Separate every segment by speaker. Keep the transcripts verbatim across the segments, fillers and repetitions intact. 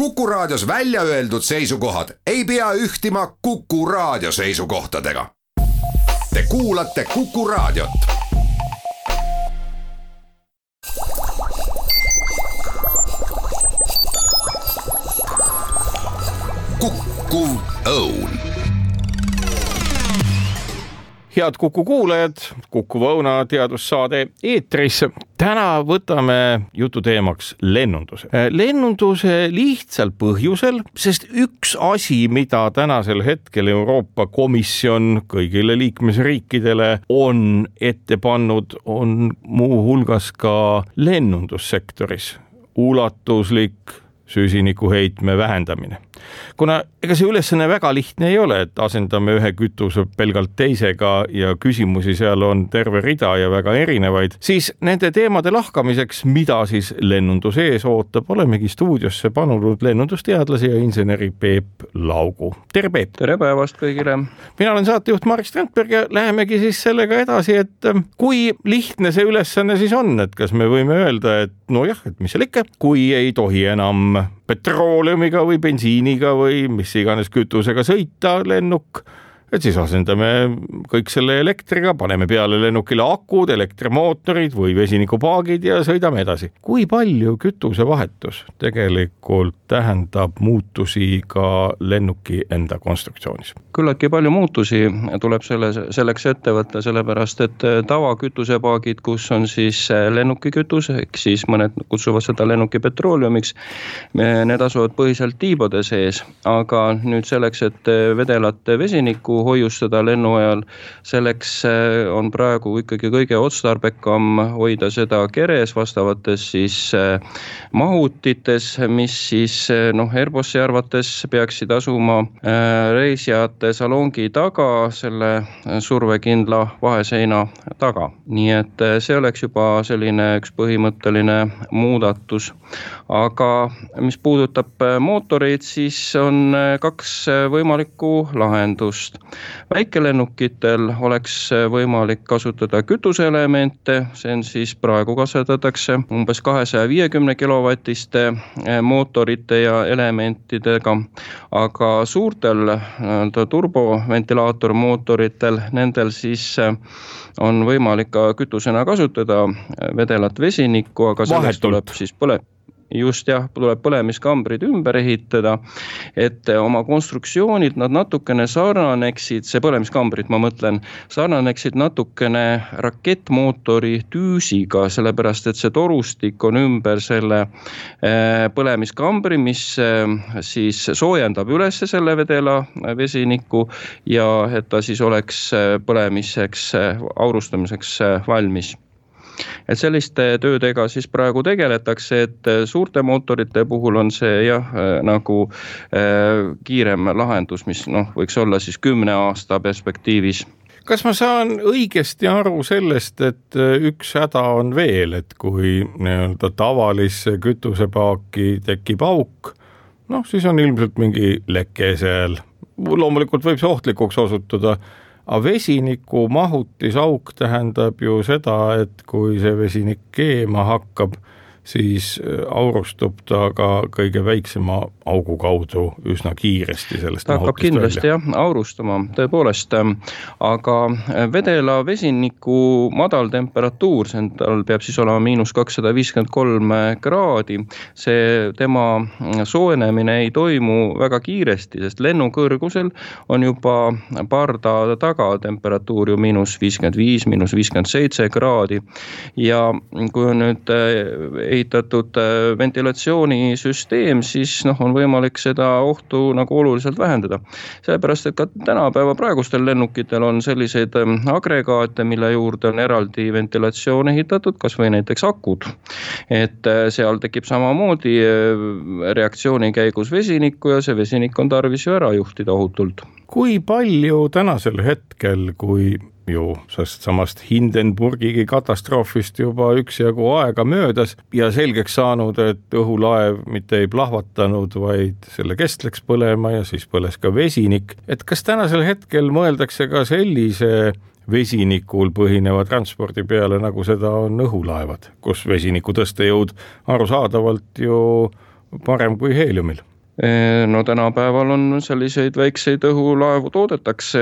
Speaker 1: Kuku Raadios välja öeldud seisukohad ei pea ühtima Kuku Raadio seisukohtadega. Te kuulate Kuku Raadiot. Kuku Õun.
Speaker 2: Head Kuku kuulajad, Kuku Õuna teadussaade eetris. Täna võtame jutu teemaks lennunduse. Lennunduse lihtsal põhjusel, sest üks asi, mida tänasel hetkel Euroopa Komisjon kõigile liikmesriikidele on ette pannud, on muu hulgas ka lennundussektoris ulatuslik süsinikuheitme vähendamine. Kuna ega see ülesanne väga lihtne ei ole, et asendame ühe kütuse pelgalt teisega ja küsimusi seal on terve rida ja väga erinevaid, siis nende teemade lahkamiseks, mida siis lennundus ees ootab, olemegi stuudiosse panunud lennundusteadlase ja inseneri Peep Laugu. Tere Peep!
Speaker 3: Tere päevast kõigile!
Speaker 2: Mina olen saatejuht Marek Strandberg ja lähemegi siis sellega edasi, et kui lihtne see ülesanne siis on, et kas me võime öelda, et nojah, et mis seal ikka, kui ei tohi enam petrooleumiga või bensiiniga või mis iganes kütusega sõita lennuk, et siis asendame kõik selle elektriga, paneme peale lennukile akud, elektrimootorid või vesinikupaagid ja sõidame edasi. Kui palju kütusevahetus tegelikult tähendab muutusi ka lennuki enda konstruktsioonis?
Speaker 3: Küllaltki palju muutusi tuleb selle, selleks ette võtta, sellepärast et tavakütusepaagid, kus on siis lennukikütus, ehk siis mõned kutsuvad seda lennuki petrooleumiks, need asuvad põhiselt tiibade sees, aga nüüd selleks, et vedelat vesiniku hoiustada lennu ajal, selleks on praegu ikkagi kõige otstarbekam hoida seda keres vastavates siis mahutites, mis siis noh, Airbussi arvates peaksid asuma reisijate salongi taga, selle survekindla vaheseina taga. Nii et see oleks juba selline üks põhimõtteline muudatus. Aga mis puudutab mootoreid, siis on kaks võimalikku lahendust. Väikelennukitel oleks võimalik kasutada kütuseelemente, see on siis praegu kasvatatakse umbes kahesaja viiekümne kilovatiste mootorite ja elementidega, aga suurtel turboventilaatormootoritel, nendel siis on võimalik ka kütusena kasutada vedelat vesinikku, aga selleks tuleb siis põle. Just jah, tuleb põlemiskambrid ümber ehitada, et oma konstruktsioonid nad natukene sarnaneksid, see põlemiskambrid ma mõtlen, sarnaneksid natukene rakettmootori tüüsiga, sellepärast et see torustik on ümber selle põlemiskambri, mis siis soojendab üles selle vedela vesiniku ja et ta siis oleks põlemiseks, aurustamiseks valmis. Et selliste töödega siis praegu tegeletakse, et suurte mootorite puhul on see jah, nagu äh, kiirem lahendus, mis noh, võiks olla siis kümne aasta perspektiivis.
Speaker 2: Kas ma saan õigesti aru sellest, et üks häda on veel, et kui nii-öelda tavalisse kütusepaaki tekib auk, noh siis on ilmselt mingi leke seal. Loomulikult võib see ohtlikuks osutuda, aga vesiniku mahutisauk tähendab ju seda, et kui see vesinik keema hakkab, siis aurustub ta ka kõige väiksema augu kaudu üsna kiiresti sellest
Speaker 3: ta hakkab kindlasti välja. Jah, aurustama, tõepoolest, aga vedela vesiniku madal temperatuur, tal peab siis olema miinus kakssada viiskümmend kolm kraadi, see tema soojenemine ei toimu väga kiiresti, sest lennukõrgusel on juba parda taga temperatuur ju miinus viiskümmend viis, miinus viiskümmend seitse kraadi ja kui on nüüd ehitatud ventilatsioonisüsteem, siis noh, on võimalik seda ohtu nagu oluliselt vähendada. Sellepärast, et ka tänapäeva praegustel lennukitel on selliseid agregaate, mille juurde on eraldi ventilatsioon ehitatud, kas või näiteks akud. Et seal tekib samamoodi reaktsiooni käigus vesinikku ja see vesinik on tarvis ju ära juhtida ohutult.
Speaker 2: Kui palju tänasel hetkel, kui ju sest samast Hindenburgi katastroofist juba üksjagu aega möödas ja selgeks saanud, et õhulaev mitte ei plahvatanud, vaid selle kest läks põlema ja siis põles ka vesinik. Et kas tänasel hetkel mõeldakse ka sellise vesinikul põhineva transpordi peale, nagu seda on õhulaevad, kus vesiniku tõstejõud arusaadavalt ju parem kui heeliumil?
Speaker 3: No tänapäeval on selliseid väikseid õhulaevu toodetakse,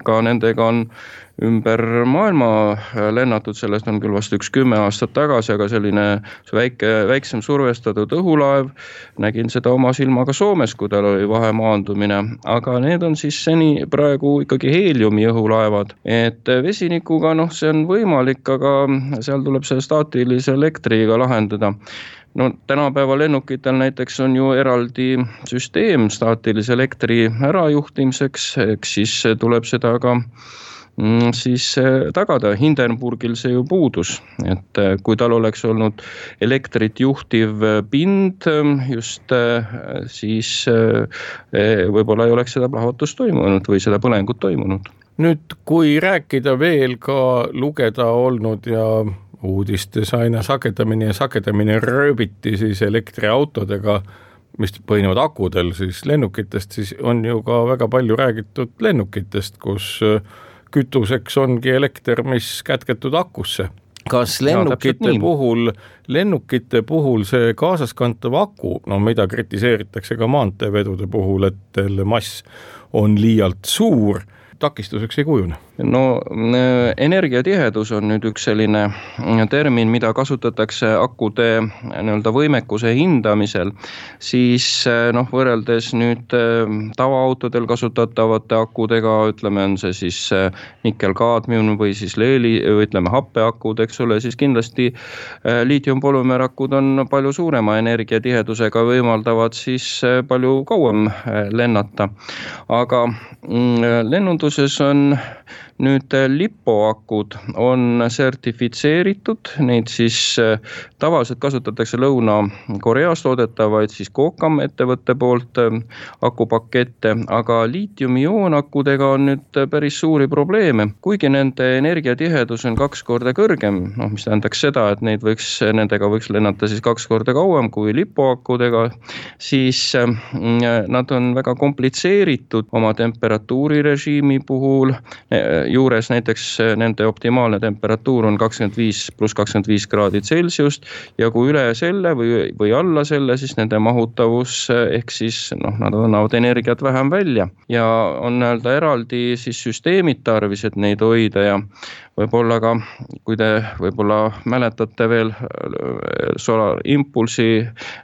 Speaker 3: ka nendega on ümber maailma lennatud, sellest on küll vast üks kümme aastat tagasi, aga selline väike, väiksem survestatud õhulaev, nägin seda oma silmaga Soomes, kui tal oli vahemaandumine, aga need on siis seni praegu ikkagi heeliumi õhulaevad, et vesinikuga, noh, see on võimalik, aga seal tuleb see staatilise elektriga lahendada. No tänapäeva lennukitel näiteks on ju eraldi süsteem staatilise elektri ärajuhtimiseks, eks siis tuleb seda ka siis tagada. Hindenburgil see ju puudus, et kui tal oleks olnud elektrit juhtiv pind just, siis võib-olla ei oleks seda plahvatust toimunud või seda põlengut toimunud.
Speaker 2: Nüüd, kui rääkida veel ka lugeda olnud ja uudistes aina sagedamini ja sagedamini rööbiti siis elektriautodega, mis põhinevad akudel siis lennukitest, siis on ju ka väga palju räägitud lennukitest, kus kütuseks ongi elekter, mis kätketud akusse. Kas lennukite ja, puhul, lennukite puhul see kaasaskantav aku, no mida kritiseeritakse ka maanteevedude puhul, et selle mass on liialt suur, takistuseks ei kujune?
Speaker 3: No energiatihedus on nüüd üks selline termin, mida kasutatakse akude nii-öelda võimekuse hindamisel, siis noh, võrreldes nüüd tavaautodel kasutatavate akudega, ütleme, on see siis nikkel-kaadmium või siis leeli, või ütleme happeakud, eks ole, siis kindlasti liitiumpolümeerakud on palju suurema energiatihedusega, võimaldavad siis palju kauem lennata. Aga lennunduses on nüüd lipoakud on sertifitseeritud, neid siis tavaliselt kasutatakse Lõuna-Koreas toodetavaid siis Kokam ettevõtte poolt akupakette, aga liitiumi-ioonakudega on nüüd päris suuri probleeme. Kuigi nende energiatihedus on kaks korda kõrgem, noh, mis tähendaks seda, et neid võiks, nendega võiks lennata siis kaks korda kauem kui lipoakudega, siis nad on väga komplitseeritud oma temperatuurirežiimi puhul. Juures näiteks nende optimaalne temperatuur on kakskümmend viis pluss kakskümmend viis kraadi Celsiust ja kui üle selle või, või alla selle, siis nende mahutavus ehk siis noh, nad annavad energiat vähem välja ja on näelda eraldi siis süsteemid tarvis, et neid hoida ja võib-olla ka, kui te võib-olla mäletate veel Solar Impulsi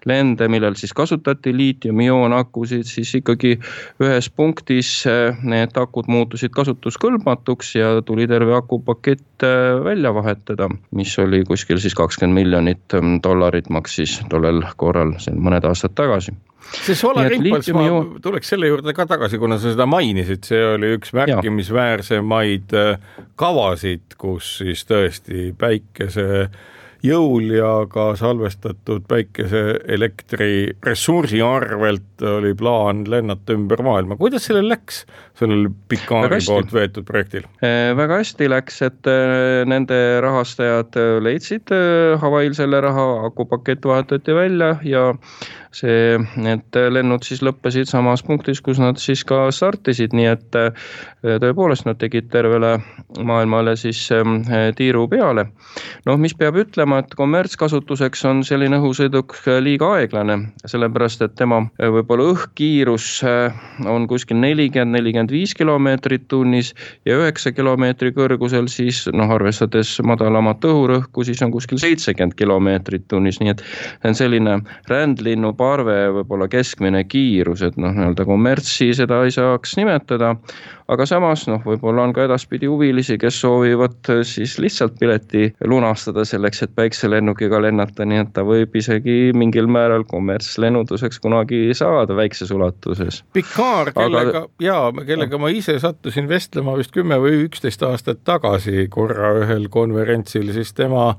Speaker 3: lende, millel siis kasutati liitium-ioon-akusid, siis ikkagi ühes punktis need akud muutusid kasutuskõlbmatuks ja tuli terve akupakett välja vahetada, mis oli kuskil siis kakskümmend miljonit dollarit maksis tollel korral, see mõned aastad tagasi.
Speaker 2: See Solar Impulse, ma tuleks selle juurde ka tagasi, kuna sa seda mainisid, see oli üks märkimisväärsemaid kavasid, kus siis tõesti päikese jõul ja ka salvestatud päikeseelektri ressursi arvelt oli plaan lennata ümber maailma. Kuidas sellel läks, sellel Picari poolt veetud projektil?
Speaker 3: Väga hästi läks, et nende rahastajad leidsid Hawaii'l selle raha, akupakett vahetati välja ja see, need lennud siis lõppesid samas punktis, kus nad siis ka startisid, nii et tõepoolest nad tegid tervele maailmale siis tiiru peale. Noh, mis peab ütlema, et kommertskasutuseks on selline õhusõiduk liiga aeglane, sellepärast, et tema võib-olla õhkiirus on kuskil nelikümmend nelikümmend viis kilomeetrit tunnis ja üheksa kilomeetri kõrgusel siis, noh, arvestades madalamat õhurõhku, siis on kuskil seitsekümmend kilomeetrit tunnis, nii et on selline rändlinnu parve võib-olla keskmine kiirus, et noh, nii-öelda kommertsi seda ei saaks nimetada, aga samas noh, võib-olla on ka edaspidi huvilisi, kes soovivad siis lihtsalt pileti lunastada selleks, et päikselennukiga lennata, nii et ta võib isegi mingil määral kommertslennunduseks kunagi saada väikses ulatuses.
Speaker 2: Picar, kellega, aga... jaa, kellega ma ise sattusin vestlema vist kümme või üksteist aastat tagasi korra ühel konverentsil, siis tema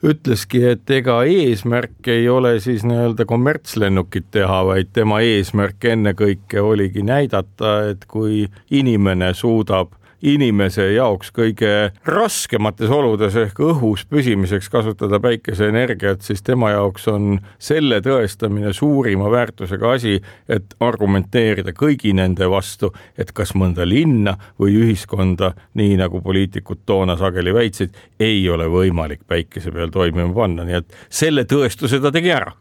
Speaker 2: ütleski, et ega eesmärk ei ole siis nii-öelda kommertslennukit teha, vaid tema eesmärk ennekõike oligi näidata, et kui inimene suudab inimese jaoks kõige raskemates oludes ehk õhus püsimiseks kasutada päikeseenergiat, siis tema jaoks on selle tõestamine suurima väärtusega asi, et argumenteerida kõigi nende vastu, et kas mõnda linna või ühiskonda, nii nagu poliitikud toona sageli väitsid, ei ole võimalik päikese peal toimima panna, nii et selle tõestuse ta tegi ära.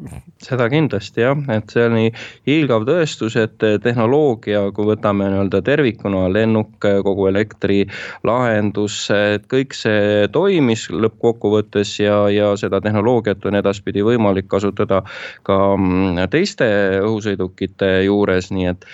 Speaker 3: Seda kindlasti jah, et see on nii hiilgav tõestus, et tehnoloogia, kui võtame nii-öelda tervikuna, lennuk, kogu elektri lahendus, et kõik see toimis lõppkokkuvõttes ja, ja seda tehnoloogiat on edaspidi võimalik kasutada ka teiste õhusõidukite juures, nii et,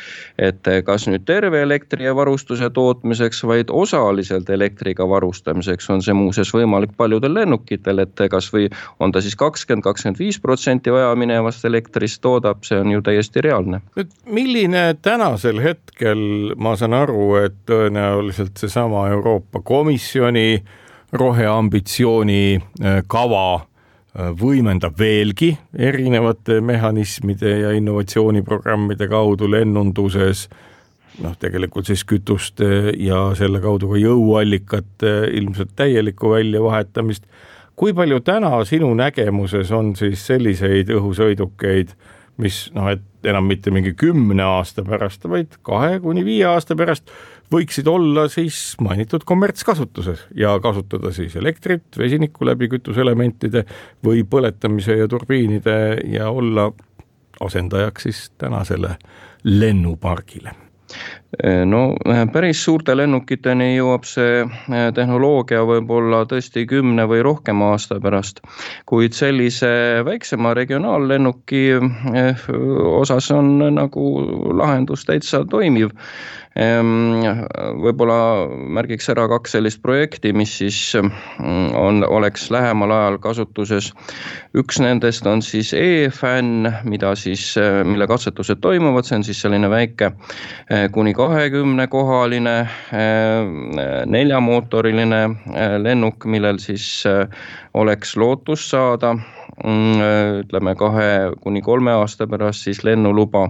Speaker 3: et kas nüüd terve elektri ja varustuse tootmiseks, vaid osaliselt elektriga varustamiseks on see muuseas võimalik paljudel lennukitel, et kas või on ta siis kakskümmend kuni kakskümmend viis protsenti vaja minevast elektrist toodab, see on ju täiesti reaalne.
Speaker 2: Nüüd, milline tänasel hetkel, ma saan aru, et tõenäoliselt seesama Euroopa Komisjoni roheambitsiooni kava võimendab veelgi erinevate mehhanismide ja innovatsiooniprogrammide kaudu lennunduses, noh tegelikult siis kütuste ja selle kaudu ka jõuallikate ilmselt täielikku väljavahetamist. Kui palju täna sinu nägemuses on siis selliseid õhusõidukeid, mis noh, et enam mitte mingi kümne aasta pärast, vaid kahe kuni viie aasta pärast võiksid olla siis mainitud kommertskasutuses ja kasutada siis elektrit, vesinikku läbi kütuselementide või põletamise ja turbiinide ja olla asendajaks siis tänasele lennupargile.
Speaker 3: No päris suurte lennukiteni jõuab see tehnoloogia võib-olla tõesti kümne või rohkem aasta pärast, kuid sellise väiksema regionaallennuki osas on nagu lahendus täitsa toimiv. Võib-olla märgiks ära kaks sellist projekti, mis siis on, oleks lähemal ajal kasutuses. Üks nendest on siis E-Fan, mida siis, mille katsetused toimuvad, see on siis selline väike kuni kahekümne kohaline neljamootoriline lennuk, millel siis oleks lootus saada ütleme kahe kuni kolme aasta pärast siis lennuluba.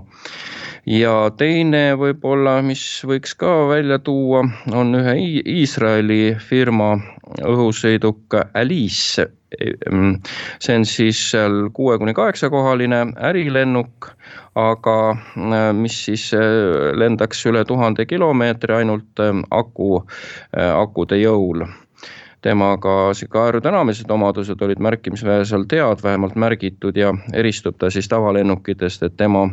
Speaker 3: Ja teine võib-olla, mis võiks ka välja tuua, on ühe Iisraeli firma õhusõiduk Alice. See on siis kuue kuni kaheksa kohaline ärilennuk, aga mis siis lendaks üle tuhande kilomeetri ainult aku, akude jõul. Temaga aerodünaamilised omadused olid märkimisväärselt head, vähemalt märgitud ja eristub ta siis tavalennukitest, et tema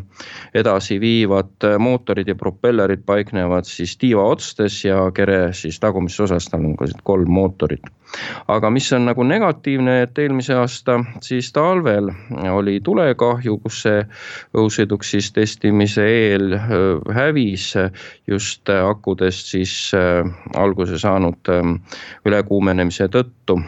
Speaker 3: edasi viivad mootorid ja propellerid paiknevad siis tiiva otstes ja kere siis tagumises osas, tal on kolm mootorit. Aga mis on nagu negatiivne, et eelmise aasta siis talvel oli tulekahju, kus see õhusõiduk siis testimise eel hävis just akudest siis alguse saanud ülekuumenemise tõttu.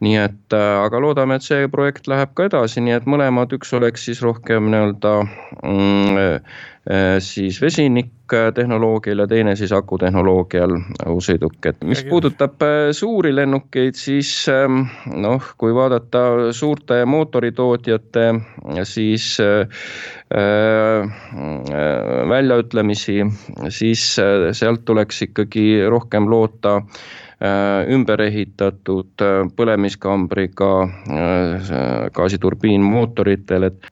Speaker 3: Nii et, aga loodame, et see projekt läheb ka edasi, nii et mõlemad üks oleks siis rohkem nii-öelda mm, siis vesinik tehnoloogial ja teine siis akutehnoloogial õhusõiduk. Et mis puudutab suuri lennukeid, siis noh, kui vaadata suurte mootoritootjate siis äh, väljaütlemisi, siis sealt tuleks ikkagi rohkem loota ümber ehitatud põlemiskambriga gaasiturbiinmootoritel, et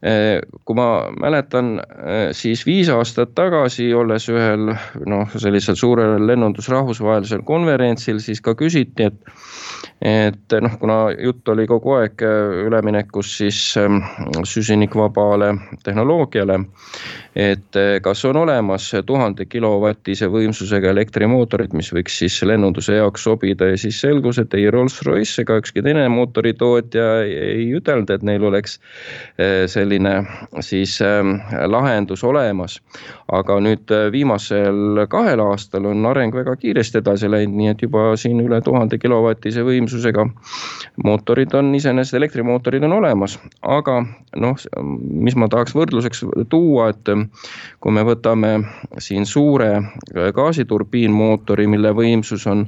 Speaker 3: kui ma mäletan, siis viis aastat tagasi olles ühel noh, sellisel suurel lennundusrahvusvahelisel konverentsil, siis ka küsiti, et et noh, kuna jutt oli kogu aeg üleminekus siis süsinikvabale tehnoloogiale, et kas on olemas tuhande kilovatise võimsusega elektrimootorid, mis võiks siis lennunduse jaoks sobida ja siis selgus, et ei Rolls-Royce ega ükski teine mootoritootja ei ütelnud, et neil oleks selline siis lahendus olemas. Aga nüüd viimasel kahel aastal on areng väga kiiresti edasi läinud, nii et juba siin üle tuhande kilovatise võimsusega mootorid on iseenesest, elektrimootorid on olemas, aga noh, mis ma tahaks võrdluseks tuua, et kui me võtame siin suure gaasiturbiinmootori, mille võimsus on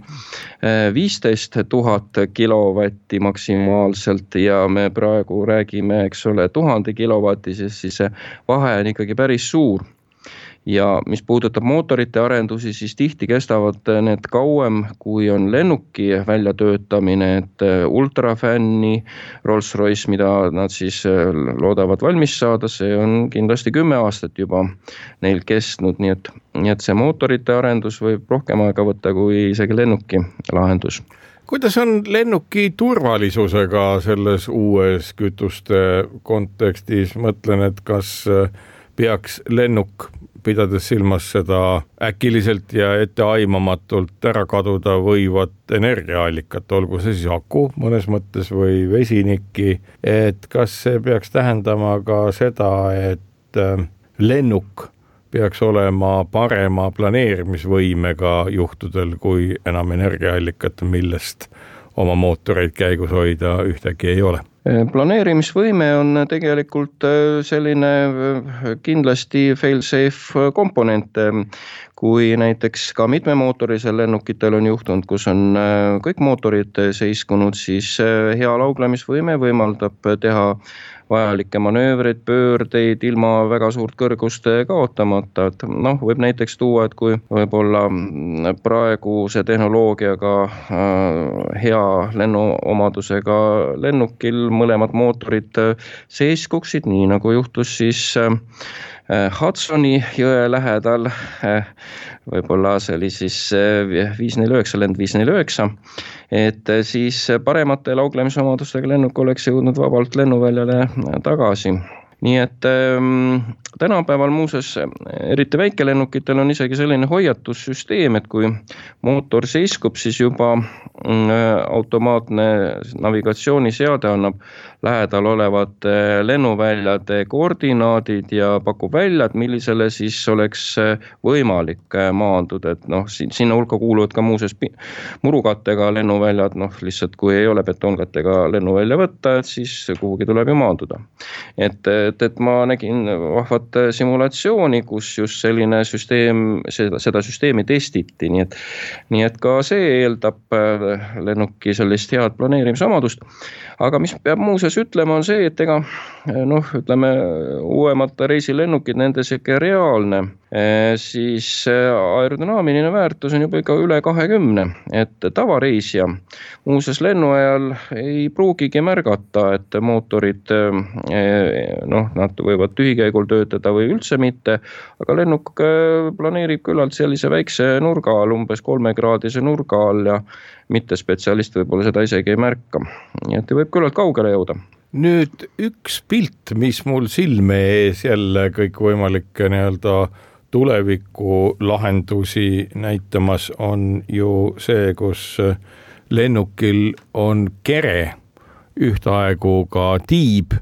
Speaker 3: viisteist tuhat kilovatti maksimaalselt ja me praegu räägime, eks ole, tuhande kilovatisest, siis see vahe on ikkagi päris suur. ja mis puudutab mootorite arendusi, siis tihti kestavad need kauem, kui on lennuki väljatöötamine, et ultrafänni Rolls-Royce, mida nad siis loodavad valmis saada, see on kindlasti kümme aastat juba neil kestnud, nii et, nii et see mootorite arendus võib rohkem aega võtta kui isegi lennuki lahendus.
Speaker 2: Kuidas on lennuki turvalisusega selles uues kütuste kontekstis? Mõtlen, et kas peaks lennuk, pidades silmas seda äkiliselt ja etteaimamatult ära kaduda võivat energiaallikat, olgu see siis aku mõnes mõttes või vesinikki, et kas see peaks tähendama ka seda, et lennuk peaks olema parema planeerimisvõimega juhtudel, kui enam energiaallikat, millest oma mootoreid käigus hoida ühtegi ei ole?
Speaker 3: Planeerimisvõime on tegelikult selline kindlasti fail-safe komponent, kui näiteks ka mitmemootorisel lennukitel on juhtunud, kus on kõik mootorid seiskunud, siis hea lauglemisvõime võimaldab teha vajalikke manöövreid, pöördeid ilma väga suurt kõrgust kaotamata, et noh, võib näiteks tuua, et kui võib-olla praeguse tehnoloogiaga hea lennuomadusega lennukil mõlemad mootorid seiskuksid, nii nagu juhtus siis Hudsoni jõe lähedal, võib-olla see oli siis viis neli üheksa, lend viis neli üheksa, et siis paremate lauglemisomadustega lennuk oleks jõudnud vabalt lennuväljale tagasi. Nii et ähm, tänapäeval muuses, eriti väikelennukitel on isegi selline hoiatussüsteem, et kui mootor seiskub, siis juba äh, automaatne navigatsiooniseade annab lähedal olevad lennuväljade koordinaadid ja pakub välja, et millisele siis oleks võimalik maanduda, et noh, sinna hulka kuuluvad ka muuses murukattega lennuväljad, noh lihtsalt kui ei ole betonkattega lennuvälja võtta, et siis kuhugi tuleb ju maanduda. Et, et, et ma nägin vahvat simulatsiooni, kus just selline süsteem, seda, seda süsteemi testiti, nii et, nii et ka see eeldab lennuki sellist head planeerimisomadust. Aga mis peab muuses ütlema on see, et ega noh, ütleme uuemad reisilennukid, nende siuke reaalne, siis aerodünaamiline väärtus on juba ikka üle kahekümne, et tavareisija muuses lennuajal ei pruugigi märgata, et mootorid noh, nad võivad tühikäigul töötada või üldse mitte, aga lennuk planeerib küllalt sellise väikse nurga all, umbes kolmekraadise nurga all ja mitte spetsialist võib-olla seda isegi ei märka. Nii et võib küllalt kaugele jõuda.
Speaker 2: Nüüd üks pilt, mis mul silme ees jälle kõik võimalikke nii-öelda tuleviku lahendusi näitamas on ju see, kus lennukil on kere ühtaegu ka tiib,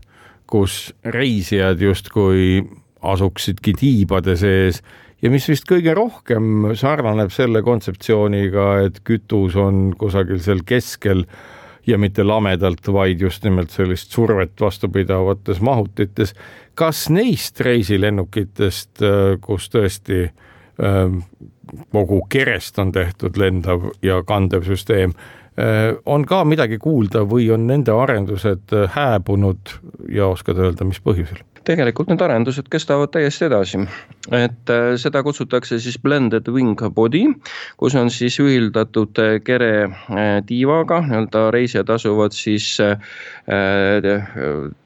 Speaker 2: kus reisijad justkui asuksidki tiibade sees ja mis vist kõige rohkem sarnaneb selle kontseptsiooniga, et kütus on kusagil seal keskel ja mitte lamedalt, vaid just nimelt sellist survet vastupidavates mahutites. Kas neist reisilennukitest, kus tõesti kogu kerest on tehtud lendav ja kandev süsteem, on ka midagi kuulda või on nende arendused hääbunud ja oskad öelda, mis põhjusel?
Speaker 3: Tegelikult need arendused kestavad täiesti edasi, et seda kutsutakse siis blended wing body, kus on siis ühildatud kere tiivaga, nii-öelda reisijad asuvad siis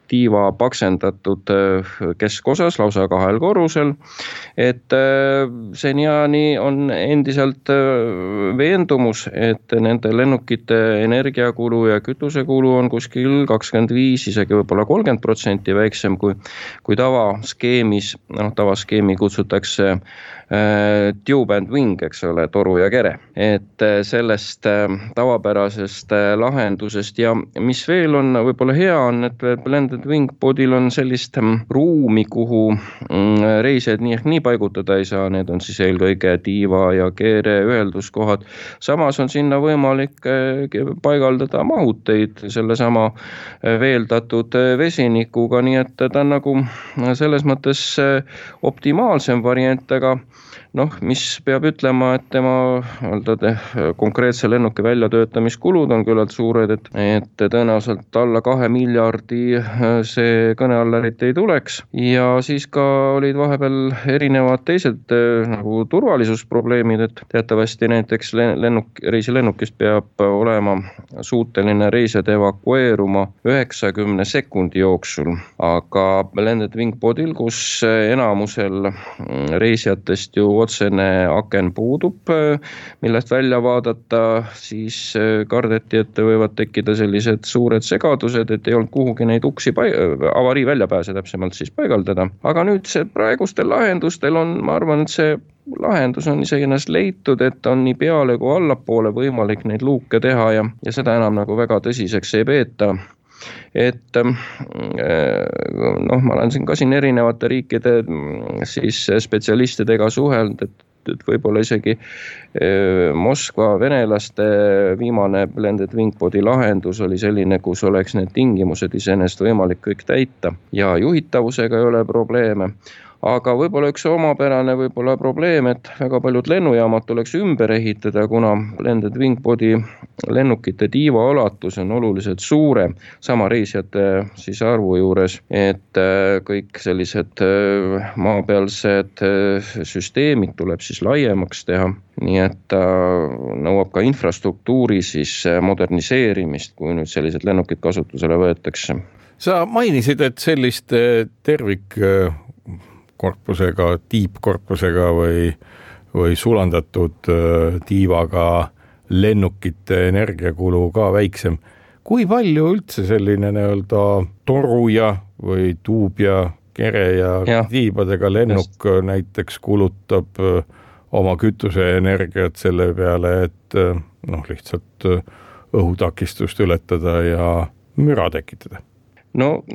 Speaker 3: tiiva paksendatud keskosas lausa kahel korrusel, et seniani on endiselt veendumus, et nende lennukite energiakulu ja kütusekulu on kuskil kakskümmend viis, isegi võib-olla kolmkümmend protsenti väiksem kui, kui tavaskeemis, noh tavaskeemi kutsutakse äh, tube and wing, eks ole, toru ja kere, et sellest äh, tavapärasest äh, lahendusest ja mis veel on võib-olla hea on, et blended wing bodyl on sellist ruumi, kuhu reisijad nii ehk nii paigutada ei saa, need on siis eelkõige tiiva ja keere ühelduskohad. Samas on sinna võimalik paigaldada mahuteid sellesama veeldatud vesinikuga, nii et ta on nagu selles mõttes optimaalsem variant, aga noh, mis peab ütlema, et tema konkreetse lennuki väljatöötamiskulud on küllalt suured, et, et tõenäoliselt alla kahe miljardi see kõne alla eriti ei tuleks. Ja siis ka olid vahepeal erinevad teised nagu turvalisusprobleemid, et teatavasti näiteks lennuk, reisilennukist peab olema suuteline reisijad evakueeruma üheksakümne sekundi jooksul, aga Blended Wing Podil, kus enamusel reisijatest ju otsene aken puudub, millest välja vaadata, siis kardeti, et võivad tekkida sellised suured segadused, et ei olnud kuhugi neid uksi paig- avarii väljapääse täpsemalt siis paigaldada. Aga nüüd see praegustel lahendustel on, ma arvan, et see lahendus on isegi ennast leitud, et on nii peale kui allapoole võimalik neid luuke teha ja, ja seda enam nagu väga tõsiseks ei peeta. Et noh, ma olen siin ka siin erinevate riikide siis spetsialistidega suhelnud, et et võib-olla isegi Moskva venelaste viimane Blended Wing Podi lahendus oli selline, kus oleks need tingimused iseenesest võimalik kõik täita ja juhitavusega ei ole probleeme. Aga võib-olla üks omapärane võib-olla probleem, et väga paljud lennujaamad tuleks ümber ehitada, kuna Blended Wing Podi lennukite tiiva ulatus on oluliselt suurem sama reisijate siis arvu juures, et kõik sellised maapealsed süsteemid tuleb siis laiemaks teha. Nii et nõuab ka infrastruktuuri siis moderniseerimist, kui nüüd sellised lennukid kasutusele võetakse.
Speaker 2: Sa mainisid, et sellist tervik korpusega, tiipkorpusega või, või sulandatud tiivaga lennukite energiakulu ka väiksem. Kui palju üldse selline nii-öelda toruja või tuubja, kere ja, ja tiibadega lennuk just näiteks kulutab oma kütuseenergiat selle peale, et noh, lihtsalt õhutakistust ületada ja müra tekitada?
Speaker 3: No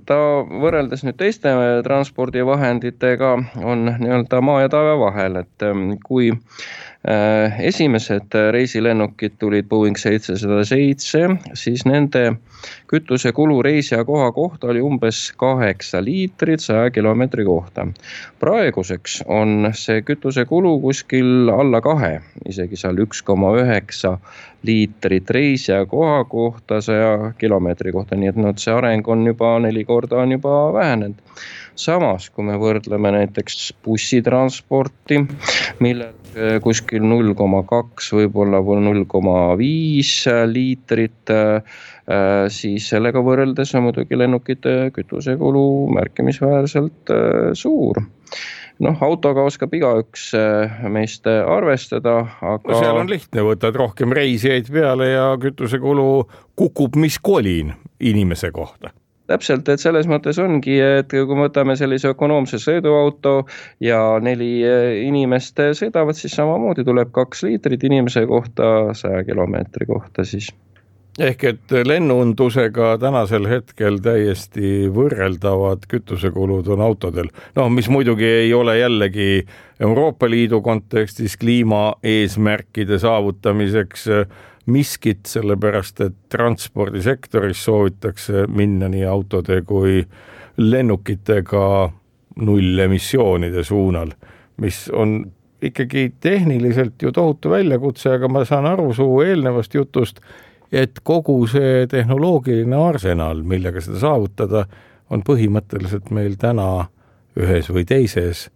Speaker 3: ta võrreldes nüüd teiste transpordivahenditega on nii-öelda maa ja taeva vahel, et kui esimesed reisilennukid tulid Boeing seitsesada seitse, siis nende kütusekulu reisija koha kohta oli umbes kaheksa liitrit saja kilomeetri kohta. Praeguseks on see kütusekulu kuskil alla kahe, isegi seal üks koma üheksa liitrit reisija koha kohta saja kilomeetri kohta, nii et no, see areng on juba neli korda on juba vähenenud. Samas, kui me võrdleme näiteks bussitransporti, mille kuskil null koma kaks, võib-olla null koma viis liitrit, siis sellega võrreldes on muidugi lennukite kütusekulu märkimisväärselt suur. Noh, autoga oskab igaüks meist arvestada, aga...
Speaker 2: No seal on lihtne, võtad rohkem reisijaid peale ja kütusekulu kukub mis kolin inimese kohta.
Speaker 3: Täpselt, et selles mõttes ongi, et kui võtame sellise ökonoomse sõiduauto ja neli inimest sõidavad, siis samamoodi tuleb kaks liitrit inimese kohta saja kilomeetri kohta siis.
Speaker 2: Ehk et lennundusega tänasel hetkel täiesti võrreldavad kütusekulud on autodel. No, mis muidugi ei ole jällegi Euroopa Liidu kontekstis kliima eesmärkide saavutamiseks miskit, sellepärast et transpordisektoris soovitakse minna nii autode kui lennukitega nullemissioonide suunal, mis on ikkagi tehniliselt ju tohutu väljakutse, aga ma saan aru su eelnevast jutust, et kogu see tehnoloogiline arsenal, millega seda saavutada, on põhimõtteliselt meil täna ühes või teises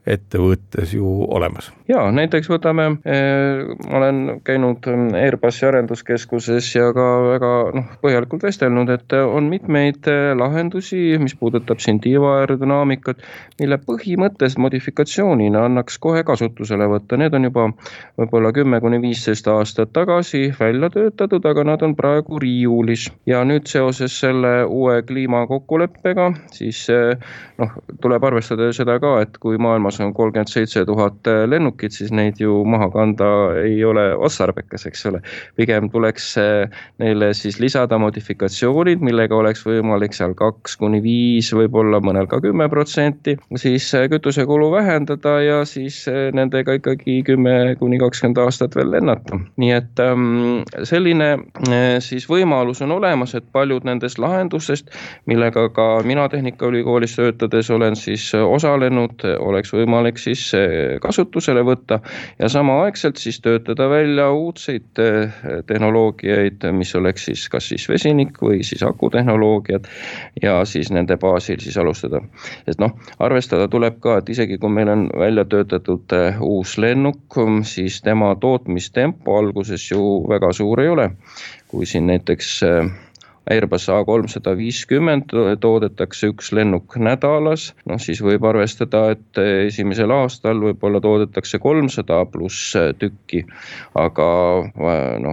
Speaker 2: ettevõttes ju olemas.
Speaker 3: Ja, näiteks võtame, ma olen käinud Airbusi arenduskeskuses ja ka väga noh, põhjalikult vestelnud, et on mitmeid lahendusi, mis puudutab siin tiiva aerodünaamikat, mille põhimõttest modifikatsioonina annaks kohe kasutusele võtta. Need on juba võib-olla kümme kuni viisteist aastat tagasi välja töötatud, aga nad on praegu riiulis. Ja nüüd seoses selle uue kliimakokkuleppega, siis noh, tuleb arvestada seda ka, et kui maailmas on kolmkümmend seitse tuhat lennukit, siis neid ju maha kanda ei ole otstarbekas, eks ole. Pigem tuleks neile siis lisada modifikatsioonid, millega oleks võimalik seal kaks kuni viis, võib-olla mõnel ka kümme protsenti, siis kütusekulu vähendada ja siis nendega ikkagi kümme kuni kakskümmend aastat veel lennata. Nii et selline siis võimalus on olemas, et paljud nendest lahendustest, millega ka mina Tehnikaülikoolis töötades olen siis osalenud, oleks võimalik siis kasutusele võtta ja samaaegselt siis töötada välja uudseid tehnoloogiaid, mis oleks siis kas siis vesinik või siis akutehnoloogiad ja siis nende baasil siis alustada. Et noh, arvestada tuleb ka, et isegi kui meil on välja töötatud uus lennuk, siis tema tootmistempo alguses ju väga suur ei ole. Kui siin näiteks Airbus A kolmsada viiskümmend toodetakse üks lennuk nädalas, no siis võib arvestada, et esimesel aastal võib-olla toodetakse kolmsada pluss tükki, aga no,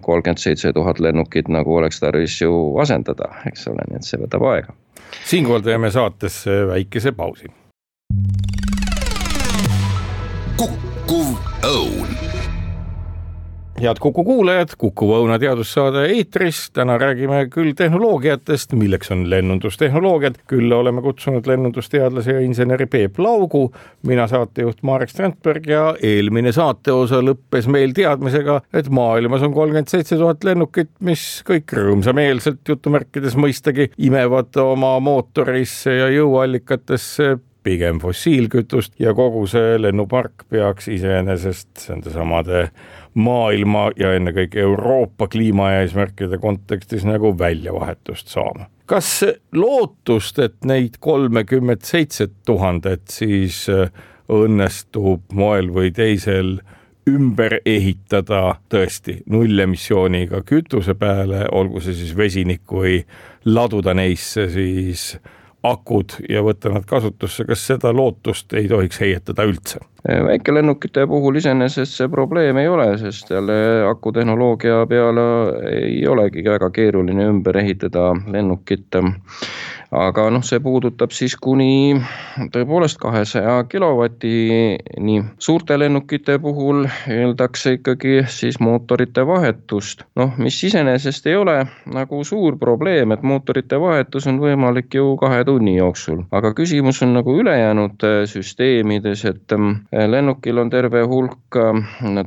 Speaker 3: kolmkümmend seitse tuhat lennukit nagu oleks tarvis ju asendada, eks ole, nii et see võtab aega.
Speaker 2: Siinkohal teeme saatesse väikese pausi.
Speaker 1: Kukkuv õun.
Speaker 2: Head Kuku kuulajad, Kuku Õuna teadussaade eetris. Täna räägime küll tehnoloogiatest, milleks on lennundustehnoloogiad. Küll oleme kutsunud lennundusteadlase ja inseneri Peep Laugu, mina saatejuht Marek Strandberg ja eelmine saateosa lõppes meil teadmisega, et maailmas on kolmkümmend seitse tuhat lennukit, mis kõik rõõmsameelselt jutumärkides mõistagi imevad oma mootorisse ja jõuallikatesse pigem fossiilkütust ja kogu see lennupark peaks iseenesest nende samade maailma ja ennekõike Euroopa kliimaeesmärkide kontekstis nagu väljavahetust saama. Kas lootust, et neid kolmkümmend seitse tuhandet siis õnnestub moel või teisel ümber ehitada tõesti nullemissiooniga kütuse peale, olgu see siis vesinik või laduda neisse siis akud ja võtta nad kasutusse, kas seda lootust ei tohiks heietada üldse?
Speaker 3: Väikelennukite puhul iseenesest see probleem ei ole, sest jälle akutehnoloogia peale ei olegi väga keeruline ümber ehitada lennukit. Aga noh, see puudutab siis kuni tõepoolest kahesaja kilovatini. Suurte lennukite puhul eeldakse ikkagi siis mootorite vahetust. Noh, mis iseenesest ei ole nagu suur probleem, et mootorite vahetus on võimalik ju kahe tunni jooksul. Aga küsimus on nagu ülejäänud süsteemides, et lennukil on terve hulk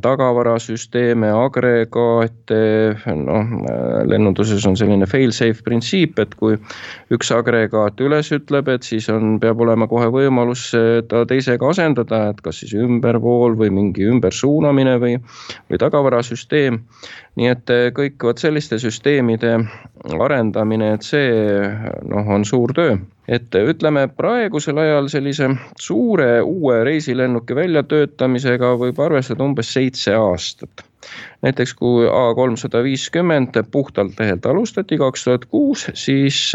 Speaker 3: tagavarasüsteeme, agregaate, noh, lennunduses on selline fail-safe printsiip, et kui üks agregaat üles ütleb, et siis on, peab olema kohe võimalus ta teisega asendada, et kas siis ümbervool või mingi ümbersuunamine või, või tagavarasüsteem. Nii et kõik võt selliste süsteemide arendamine, et see noh, on suur töö. Et ütleme praegusel ajal sellise suure uue reisilennuki väljatöötamisega võib arvestada umbes seitse aastat. Näiteks kui A kolmsada viiskümmend puhtalt lehelt alustati kaks tuhat kuus, siis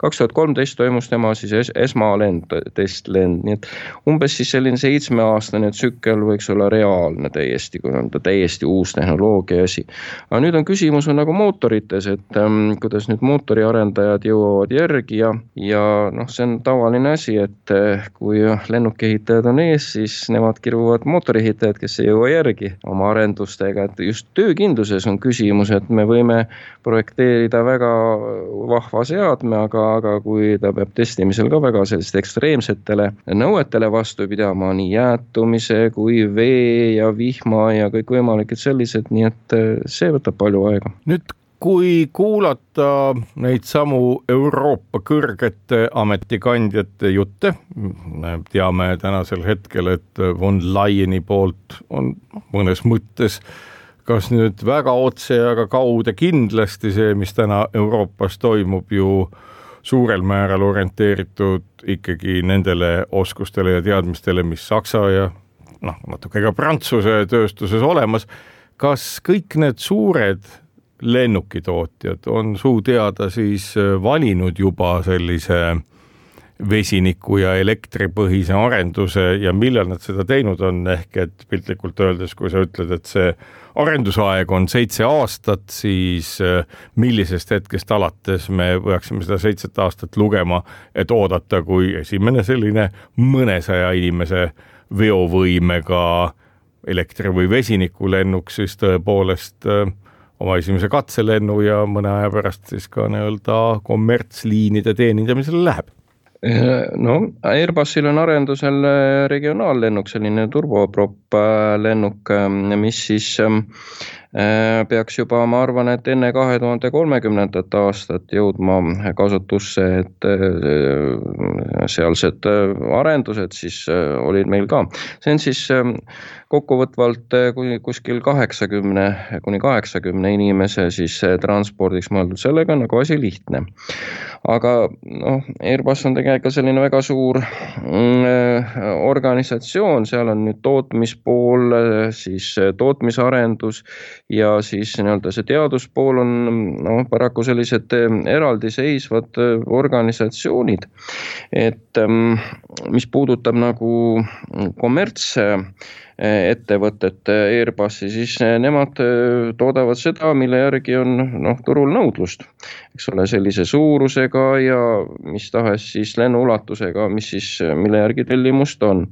Speaker 3: kaks tuhat kolmteist toimus tema siis es esmalend, testlend, nii et umbes siis selline seitsmeaastane tsükkel võiks olla reaalne täiesti, kui on ta täiesti uus tehnoloogia asi. Aga nüüd on küsimus on nagu mootorites, et ähm, kuidas nüüd mootoriarendajad jõuavad järgi ja, ja noh, see on tavaline asi, et äh, kui lennukehitajad on ees, siis nemad kiruvad mootoriehitajad, kes ei jõua järgi oma arendustega, et just töökindluses on küsimus, et me võime projekteerida väga vahva seadme, aga, aga kui ta peab testimisel ka väga sellist ekstreemsetele nõuetele vastu pidama, nii jäätumise kui vee ja vihma ja kõik võimalikud sellised, nii et see võtab palju aega.
Speaker 2: Nüüd kui kuulata neid samu Euroopa kõrgete ametikandjate jutte, teame tänasel hetkel, et von Leyeni poolt on mõnes mõttes kas nüüd väga otse, aga kaude kindlasti see, mis täna Euroopas toimub ju suurel määral orienteeritud ikkagi nendele oskustele ja teadmistele, mis Saksa ja noh, natuke ka Prantsuse tööstuses olemas. Kas kõik need suured lennukitootjad on suu teada siis valinud juba sellise vesiniku ja elektripõhise arenduse ja millal nad seda teinud on, ehk et piltlikult öeldes, kui sa ütled, et see arendusaeg on seitse aastat, siis millisest hetkest alates me võiksime seda seitset aastat lugema, et oodata, kui esimene selline mõnesaja inimese veovõimega elektri- või vesinikulennuk siis tõepoolest oma esimese katselennu ja mõne aja pärast siis ka nii-öelda kommertsliinide teenindamisele läheb.
Speaker 3: No, Airbusil on arendusel regionaallennuk, selline turboprop lennuk, mis siis peaks juba, ma arvan, et enne kahe tuhande kolmekümnendat aastat jõudma kasutusse, et sealsed arendused siis olid meil ka. See on siis kokkuvõtvalt kuskil kaheksakümne kuni kaheksakümne inimese siis transpordiks mõeldud, sellega nagu asi lihtne. Aga noh, Airbus on tegelikult selline väga suur organisatsioon, seal on nüüd tootmispool, siis tootmisarendus ja siis nii-öelda see teaduspool on no, paraku sellised eraldiseisvad organisatsioonid. Et mis puudutab nagu kommerts ettevõtet Airbusi, siis nemad toodavad seda, mille järgi on noh, turul nõudlust. Eks ole, sellise suurusega ja mis tahes siis lennuulatusega, mis siis, mille järgi tellimust on.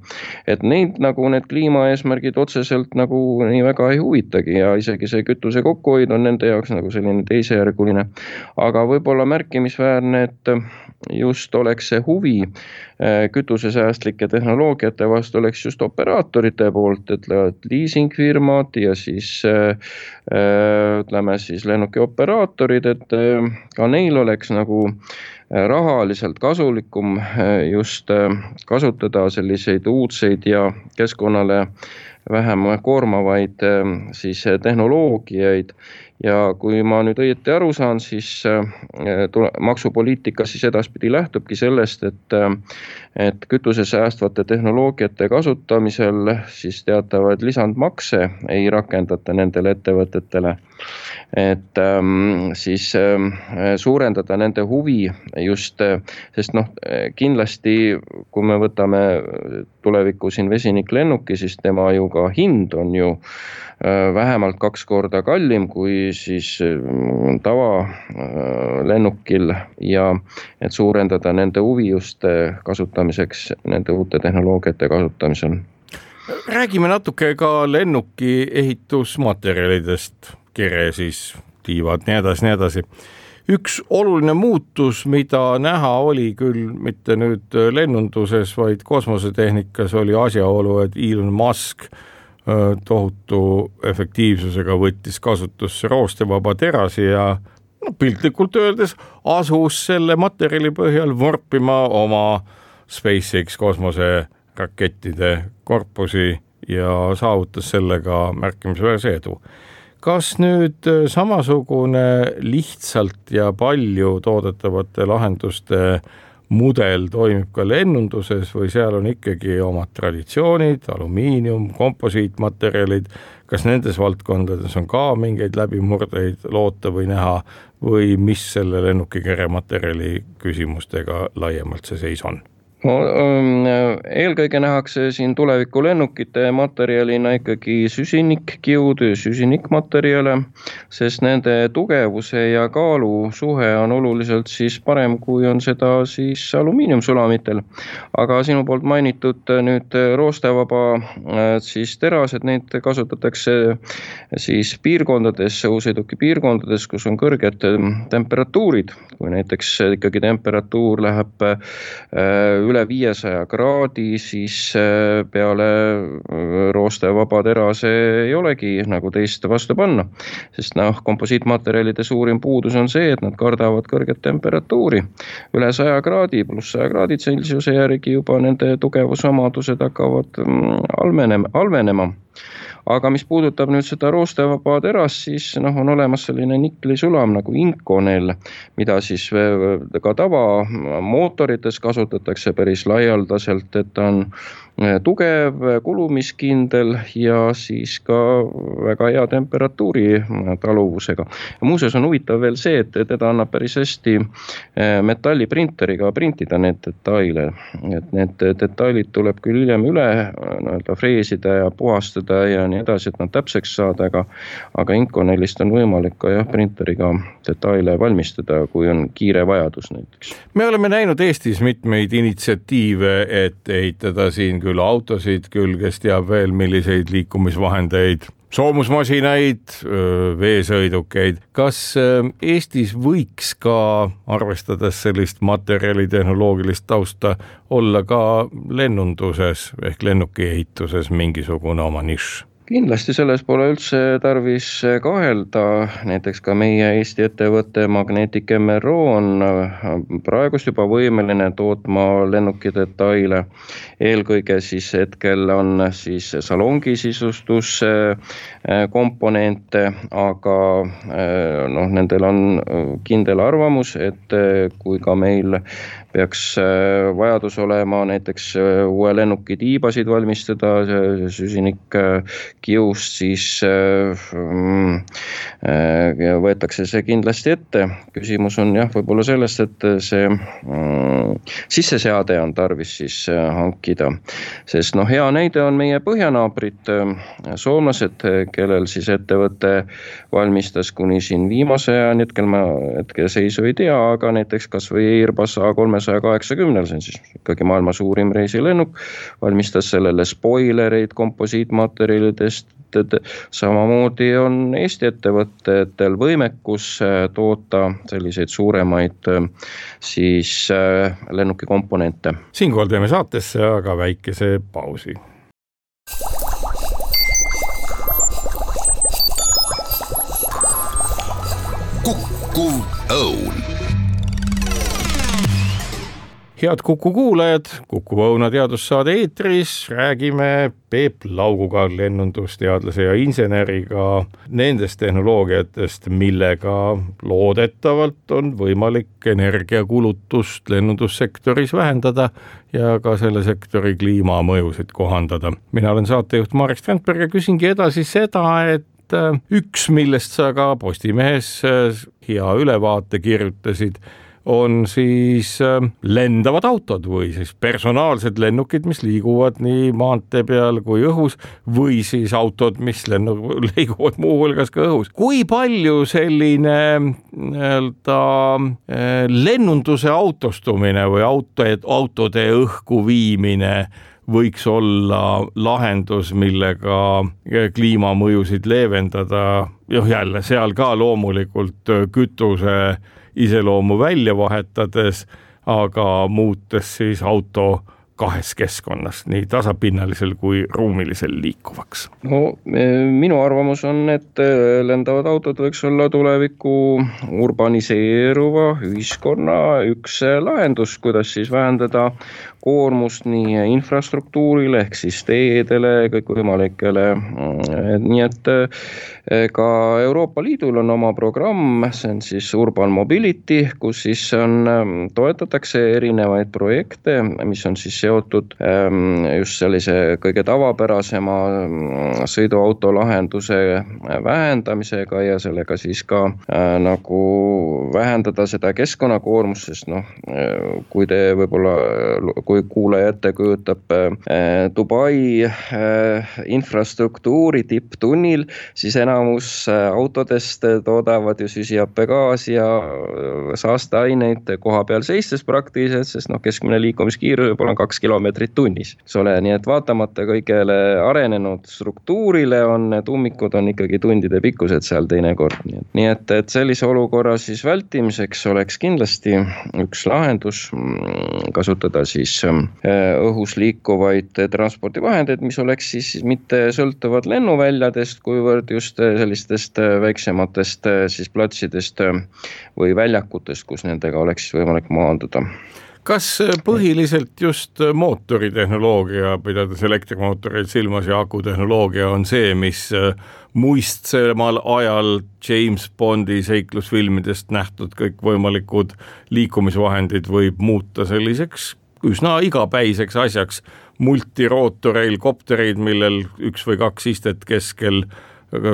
Speaker 3: Et neid nagu need kliimaeesmärgid otseselt nagu nii väga ei huvitagi ja isegi see kütuse kokkuhoid on nende jaoks nagu selline teisejärguline. Aga võib-olla märkimisväärne, et just oleks see huvi kütusesäästlike tehnoloogiate vastu oleks just operaatorite poolt, et liisingfirmad ja siis ütleme siis lennuki operaatorid, et ka neil oleks nagu rahaliselt kasulikum just kasutada selliseid uudseid ja keskkonnale vähem koormavaid siis tehnoloogiaid. Ja kui ma nüüd õieti aru saan, siis maksupoliitika siis edaspidi lähtubki sellest, et, et kütusesäästvate tehnoloogiate kasutamisel siis teatavaid lisandmakse ei rakendata nendele ettevõtetele. Et siis suurendada nende huvi just, sest noh, kindlasti kui me võtame tuleviku siin vesiniklennuki, siis tema ju ka hind on ju vähemalt kaks korda kallim kui siis tava lennukil ja et suurendada nende huvi just kasutamiseks, nende uute tehnoloogiate kasutamisel.
Speaker 2: Räägime natuke ka lennuki ehitusmaterjalidest, kere siis, tiivad, nii edasi, nii edasi. Üks oluline muutus, mida näha oli küll mitte nüüd lennunduses, vaid kosmosetehnikas oli asjaolu, et Elon Musk tohutu efektiivsusega võttis kasutusse roostevaba terasi ja no, piltlikult öeldes asus selle materjali põhjal vorpima oma SpaceX kosmoserakettide korpusi ja saavutas sellega märkimisväärse edu. Kas nüüd samasugune lihtsalt ja palju toodetavate lahenduste mudel toimib ka lennunduses või seal on ikkagi omad traditsioonid, alumiinium, komposiitmaterjalid, kas nendes valdkondades on ka mingeid läbimurdeid loota või näha või mis selle lennukikere materjali küsimustega laiemalt see seis on?
Speaker 3: No, eelkõige nähakse siin tuleviku lennukite materjalina ikkagi süsinikkiud, süsinikmaterjale, sest nende tugevuse ja kaalu suhe on oluliselt siis parem, kui on seda siis alumiiniumsulamitel. Aga sinu poolt mainitud nüüd roostevaba siis terased, neid kasutatakse siis piirkondades, õhusõiduki piirkondades, kus on kõrged temperatuurid, kui näiteks ikkagi temperatuur läheb üle üle viiesaja kraadi, siis peale roostevaba terase ei olegi nagu teist vastu panna. Sest noh, komposiitmaterjalide suurim puudus on see, et nad kardavad kõrget temperatuuri. Üle saja kraadi pluss saja kraadi Celsiuse järgi juba nende tugevusomadused hakkavad halvenema. Aga mis puudutab nüüd seda roostevaba terast, siis noh, on olemas selline niklisulam nagu Inconel, mida siis ka tava mootorites kasutatakse päris laialdaselt, et ta on tugev, kulumiskindel ja siis ka väga hea temperatuuri taluvusega. Ja muuseas on huvitav veel see, et teda annab päris hästi metalliprinteriga printida need detaile. Et need detailid tuleb küll hiljem üle no, freesida ja puhastada ja nii edasi, et nad täpseks saada, aga, aga Inconelist on võimalik ka jah, printeriga detaile valmistada, kui on kiire vajadus näiteks.
Speaker 2: Me oleme näinud Eestis mitmeid initsiatiive, et ehitada siin küll autosid, küll kes teab veel milliseid liikumisvahendeid, soomusmasinaid, veesõidukeid. Kas Eestis võiks ka, arvestades sellist materjalitehnoloogilist tausta, olla ka lennunduses ehk lennukiehituses mingisugune oma nišš?
Speaker 3: kindlasti selles pole üldse tarvis kahelda, näiteks ka meie Eesti ettevõtte Magnetic M R O on praegust juba võimeline tootma lennuki detaile. Eelkõige siis hetkel on siis salongi sisustus komponente, aga noh, nendel on kindel arvamus, et kui ka meil peaks vajadus olema näiteks uue lennuki tiibasid valmistada, süsinik kiust, siis võetakse see kindlasti ette. Küsimus on jah, võib-olla sellest, et see sisseseade on tarvis siis hankida. Sest noh, hea näide on meie põhjanaabrid, soomlased, kellel siis ettevõte valmistas kuni siin viimase ajani, hetkel ma hetke seisu ei tea, aga näiteks kas või Airbus A kolmsada kaheksakümmend, see on siis ikkagi maailma suurim reisilennuk, valmistas sellele spoilereid komposiitmaterjalidest. Samamoodi on Eesti ettevõtetel võimekus toota selliseid suuremaid siis lennuki komponente.
Speaker 2: Siinkohal teeme saatesse aga väikese pausi.
Speaker 1: Kukkuv õun.
Speaker 2: Head Kuku kuulajad, Kuku Õuna teadussaade eetris, räägime Peep Lauguga, lennundusteadlase ja inseneriga nendest tehnoloogiatest, millega loodetavalt on võimalik energiakulutust lennundussektoris vähendada ja ka selle sektori kliimamõjusid kohandada. Mina olen saatejuht Marek Strandberg ja küsingi edasi seda, et üks, millest sa ka Postimehes hea ülevaate kirjutasid, on siis lendavad autod või siis personaalsed lennukid, mis liiguvad nii maantee peal kui õhus või siis autod, mis lennu, liiguvad muu hulgas ka õhus. Kui palju selline nii-öelda lennunduse autostumine või auto, autode õhku viimine võiks olla lahendus, millega kliimamõjusid leevendada? Joh, jälle seal ka loomulikult kütuse iseloomu välja vahetades, aga muutes siis auto kahes keskkonnas, nii tasapinnalisel kui ruumilisel liikuvaks.
Speaker 3: No minu arvamus on, et lendavad autod võiks olla tuleviku urbaniseeruva ühiskonna üks lahendus, kuidas siis vähendada koormust nii infrastruktuurile ehk siis teedele, kõikvõimalikele. Nii et ka Euroopa Liidul on oma programm, see on siis Urban Mobility, kus siis on, toetatakse erinevaid projekte, mis on siis seotud just sellise kõige tavapärasema sõiduauto lahenduse vähendamisega ja sellega siis ka nagu vähendada seda keskkonnakoormust, sest noh, kui te võib-olla, kui kuulaja ette kujutab Dubai infrastruktuuri tipptunnil, siis enamus autodest toodavad ju süsihappegaasi ja saasteaineid koha peal seistes praktiliselt, sest noh, keskmine liikumiskiirus võib olla kaks kilomeetrit tunnis. Ole, nii et vaatamata kõigele arenenud struktuurile on need ummikud on ikkagi tundide pikkused seal teinekord. Nii et, et sellise olukorra siis vältimiseks oleks kindlasti üks lahendus kasutada siis õhus liikuvaid transpordivahendeid, mis oleks siis mitte sõltuvad lennuväljadest, kuivõrd just sellistest väiksematest siis platsidest või väljakutest, kus nendega oleks võimalik maanduda.
Speaker 2: Kas põhiliselt just mootoritehnoloogia, pidades elektrimootoreid silmas ja akutehnoloogia on see, mis muistsemal ajal James Bondi seiklusfilmidest nähtud kõik võimalikud liikumisvahendid võib muuta selliseks üsna igapäiseks asjaks, multirootoreil kopterid, millel üks või kaks istet keskel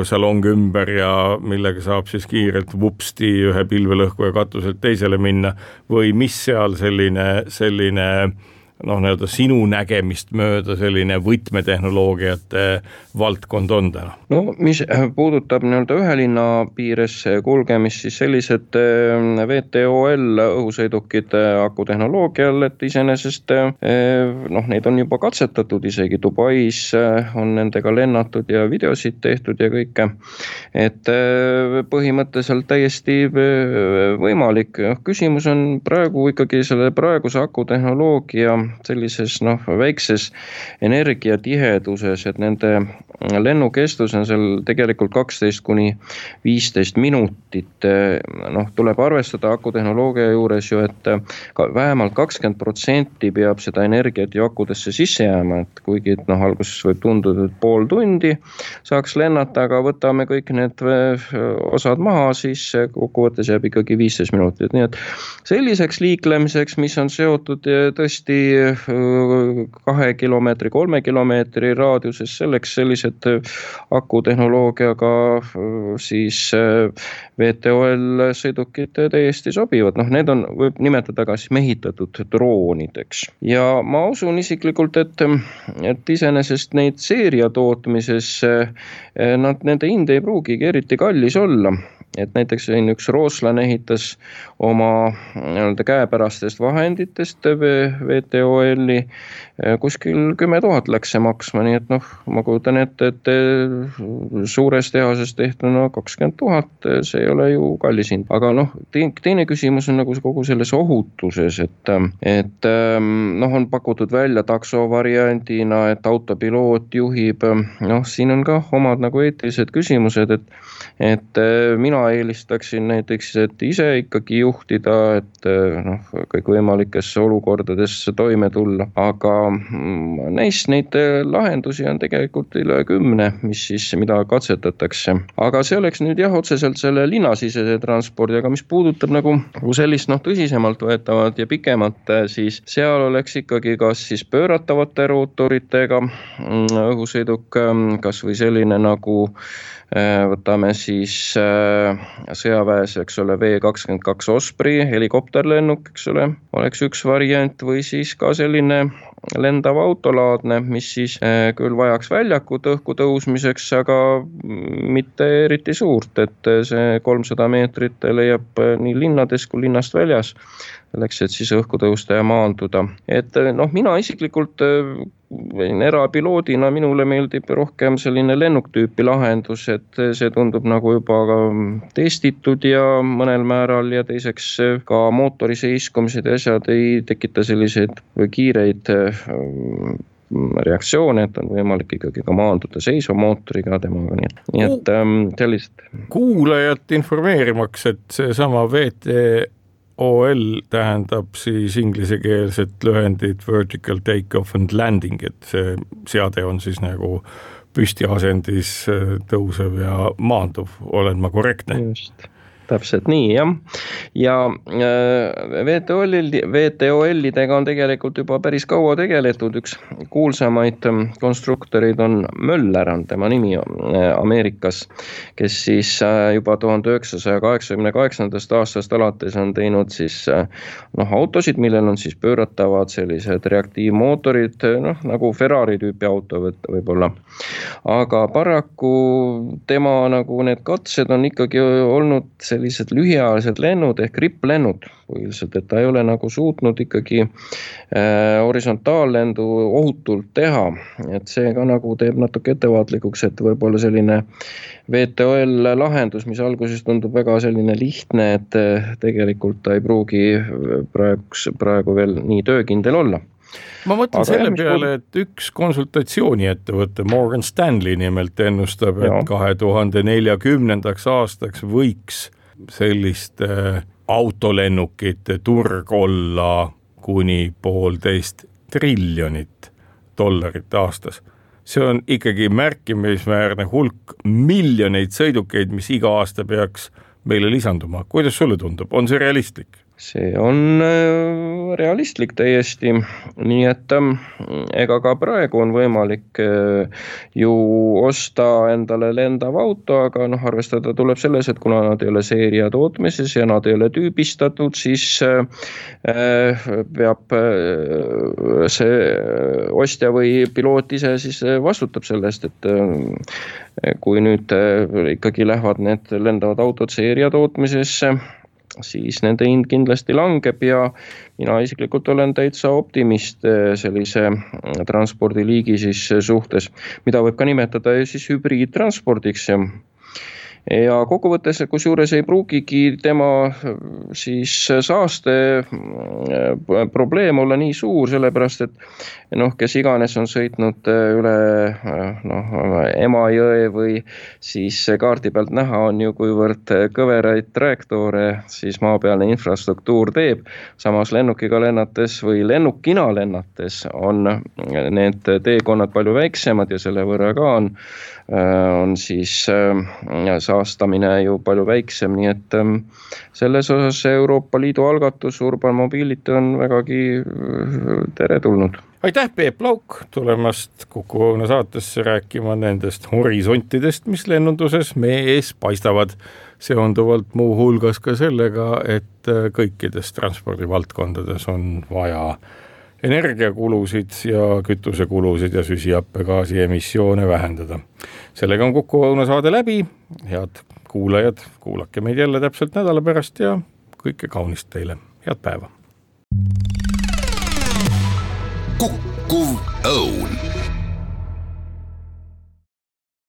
Speaker 2: salong ümber ja millega saab siis kiirelt vupsti ühe pilvelõhkuja katuselt teisele minna või mis seal selline, selline noh, nii-öelda sinu nägemist mööda selline võtmetehnoloogiate valdkond on täna?
Speaker 3: No mis puudutab nii-öelda ühe linna piires kulgemist, siis sellised V T O L õhusõidukid akutehnoloogial, et iseenesest noh, neid on juba katsetatud, isegi Dubais on nendega lennatud ja videosid tehtud ja kõike. Et põhimõtteliselt täiesti võimalik. Küsimus on praegu ikkagi selle praeguse akutehnoloogia sellises noh, väikses energiatiheduses, et nende lennukestus on seal tegelikult kaksteist kuni viisteist minutit. Noh, tuleb arvestada akutehnoloogia juures ju, et ka vähemalt kakskümmend protsenti peab seda energiat ju akudesse sisse jääma, et kuigi et noh, alguses võib tunduda, et pool tundi saaks lennata, aga võtame kõik need osad maha, siis kokkuvõttes jääb ikkagi viisteist minutit. Nii et selliseks liiklemiseks, mis on seotud tõesti kahe kilomeetri, kolme kilomeetri raadiuses, selleks sellised akutehnoloogiaga siis V T O L sõidukid täiesti sobivad. Noh, need on, võib nimetada ka siis mehitatud droonideks. Ja ma usun isiklikult, et, et iseenesest neid seeria tootmises nad, nende hind ei pruugigi eriti kallis olla. Et näiteks üks rootslane ehitas oma käepärastest vahenditest V T O L-i kuskil kümme tuhat läks see maksma, nii et noh, ma kujutan ette, et suures tehases tehtuna kakskümmend tuhat, see ei ole ju kallis hind. Aga noh, teine küsimus on nagu kogu selles ohutuses, et, et noh, on pakutud välja takso variandina, et autopiloot juhib, noh, siin on ka omad nagu eetilised küsimused, et, et mina eelistaksin näiteks, et ise ikkagi juhtida, et noh, kõik võimalikes olukordades toime tulla, aga neist neid lahendusi on tegelikult üle kümne, mis siis, mida katsetatakse. Aga see oleks nüüd jah, otseselt selle linnasisese transpordi, aga mis puudutab nagu sellist noh, tõsisemalt võetavat ja pikemat, siis seal oleks ikkagi kas siis pööratavate rootoritega õhusõiduk, kas või selline nagu võtame siis sõjaväes, eks ole, V kakskümmend kaks Osprey, helikopterlennuk, eks ole, oleks üks variant või siis ka selline lendav autolaadne, mis siis küll vajaks väljakut õhku tõusmiseks, aga mitte eriti suurt, et see kolmsada meetrit leiab nii linnades kui linnast väljas, selleks, et siis õhku tõusta ja maanduda. Et noh, mina isiklikult erapiloodina minule meeldib rohkem selline lennuktüüpi lahendus, et see tundub nagu juba ka testitud ja mõnel määral ja teiseks ka mootori seiskumised ja asjad ei tekita selliseid kiireid reaktsioone, et on võimalik ikkagi ka maanduda seisva mootoriga temaga, nii, nii et ähm, sellist.
Speaker 2: Kuulajat informeerimaks, et see sama V T O L tähendab siis inglisekeelset lühendit Vertical Take-off and Landing, et see seade on siis nagu püstiasendis tõusev ja maanduv, olen ma korrektne?
Speaker 3: Just. Täpselt nii, jah. Ja V T O L-i, V T O L-idega on tegelikult juba päris kaua tegeletud. Üks kuulsamaid konstruktorid on Möller, on tema nimi Ameerikas, kes siis juba tuhande üheksasaja kaheksakümne kaheksandast aastast alates on teinud siis noh, autosid, millel on siis pööratavad sellised reaktiivmootorid, noh, nagu Ferrari tüüpi auto võib-olla. Aga paraku tema nagu need katsed on ikkagi olnud see sellised lühiajalised lennud ehk ripplennud, põhiliselt, et ta ei ole nagu suutnud ikkagi äh, horisontaallendu ohutult teha, et see ka nagu teeb natuke ettevaatlikuks, et võib-olla selline V T O L lahendus, mis alguses tundub väga selline lihtne, et tegelikult ta ei pruugi praegu, praegu veel nii töökindel olla.
Speaker 2: Ma mõtlen aga selle peale, et üks konsultatsiooniettevõte Morgan Stanley nimelt ennustab, et kahe tuhande neljakümnendaks aastaks võiks selliste autolennukite turg olla kuni poolteist triljonit dollarit aastas. See on ikkagi märkimisväärne hulk miljoneid sõidukeid, mis iga aasta peaks meile lisanduma. Kuidas sulle tundub? On see realistlik?
Speaker 3: See on realistlik täiesti, nii et ega ka praegu on võimalik ju osta endale lendav auto, aga noh, arvestada tuleb selles, et kuna nad ei ole seeria tootmises ja nad ei ole tüübistatud, siis peab see ostja või piloot ise siis vastutab sellest, et kui nüüd ikkagi lähevad need lendavad autod seeria tootmisesse, siis nende hind kindlasti langeb ja mina isiklikult olen täitsa optimist sellise transpordiliigi siis suhtes, mida võib ka nimetada siis hübriidtranspordiks. ja kokkuvõttes, kus juures ei pruugigi tema siis saaste probleem olla nii suur, sellepärast et noh, kes iganes on sõitnud üle noh, Emajõe või siis kaardi pealt näha on ju, kuivõrd kõveraid trajektoore siis maapealne infrastruktuur teeb. Samas lennukiga lennates või lennukina lennates on need teekonnad palju väiksemad ja selle võrra ka on, on siis saastamine ju palju väiksem, nii et selles osas Euroopa Liidu algatus Urban Mobility on vägagi teretulnud.
Speaker 2: Aitäh, Peep Lauk, tulemast Kuku Õuna saatesse rääkima nendest horisontidest, mis lennunduses meie ees paistavad, seonduvalt muu hulgas ka sellega, et kõikides transpordivaldkondades on vaja energiakulusid ja kütusekulusid ja süsihappegaasi emissioone vähendada. Sellega on Kuku Õuna saade läbi, head kuulajad, kuulake meid jälle täpselt nädala pärast ja kõike kaunist teile, head päeva!
Speaker 1: Kuku Õun.